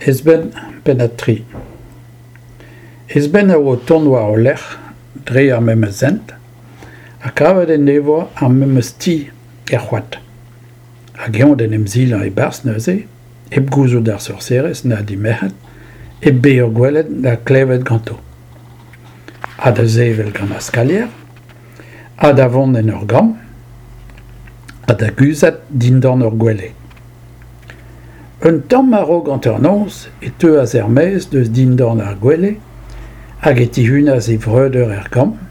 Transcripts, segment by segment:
Ezbenn, pennad 3. Ezbenn a oa o tont war o lerc'h dre ar memes hent ha kavet en devoa ar memes ti er c'hoad. Hag eñ d'en em silañ e-barzh neuze, hep gouzout d'ar sorserez na d'he merc'hed, hep bezañ gwelet na klevet ganto. Ha da sevel gant ar skalier, ha da vont en ur gambr, ha da guzhat dindan ur gwele. Un tamm a-raok hanternoz e teuas er-maez eus dindan ar gwele hag e tihunas e vreudeur er gambr.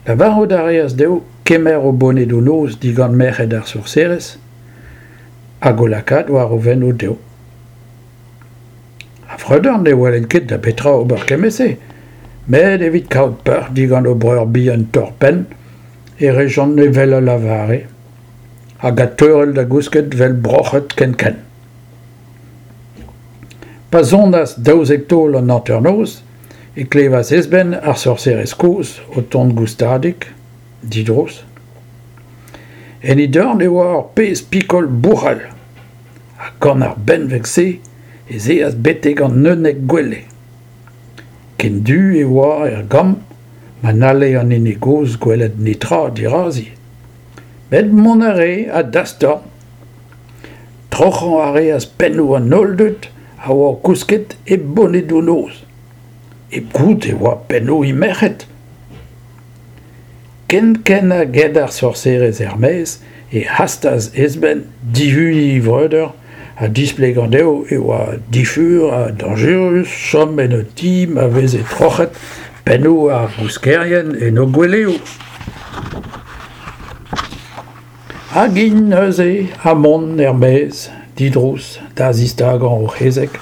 Lavarout a reas dezho kemer o bonedoù-noz digant merc'hed ar sorserez hag o lakaat war o fennoù dezho. Ar vreudeur ne welent ket da betra ober kement-se, met evit kaout peoc'h digant o breur bihan torr-penn e rejont evel a lavare. hag adteurel da gousket 'vel broc'hed kenkent. Pa sonas 12 taol an hanternoz e klevas Ezbenn ar sorserez kozh o tont goustadik, didrouz. En he dorn e oa ur pezh pikol bouc'hal ha gant ar benveg-se ez eas betek an 11 gwele. Ken du e oa er gambr ma n'halle an hini gozh gwelet netra dirazi. Met mont a rae a-dastorn. Troc'hañ a reas pennoù an holl dud a oa kousket e bonedoù-noz. Hep goût e oa pennoù he merc'hed. Kenkent ha get ar sorserez er-maez e hastas Ezbenn dihuniñ e vreudeur ha displegañ dezho e oa difur ha dañjerus chom en un ti ma veze troc'het pennoù ar gouskerien en o gweleoù. Hag int neuze ha mont er-maez, didrouz, da zistagañ o c'hezeg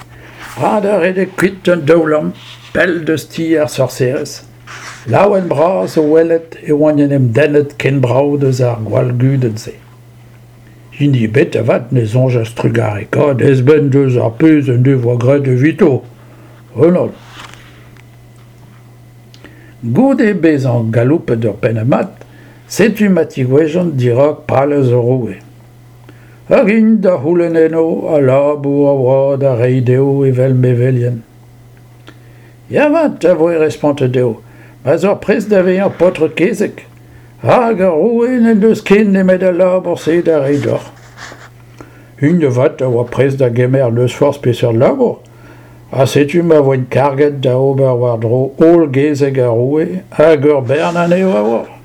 ha da redek kuit un daoulamm pell deus ti ar sorserez, laouen-bras o welet e oant en em dennet ken brav deus ar gwall gudenn-se. Hini ebet avat ne soñjas trugarekaat Ezbenn deus ar pezh en devoa graet evito. Renod. Goude bezañ galoupet ur pennad mat, setu ma tigouezjont dirak palez o roue. Hag int da c'houlenn eno al labour a oa da reiñ dezho evel mevelien. Ya 'vat, a voe respontet dezho, ma'z oc'h prest da vezañ paotr-kezeg, rak ar roue n'en deus ken nemet al labour-se da reiñ deoc'h. Int avat a oa prest da gemer n'eus forzh peseurt labour, ha setu ma voent karget da ober war-dro holl gezeg ar roue hag ur bern anezho a oa.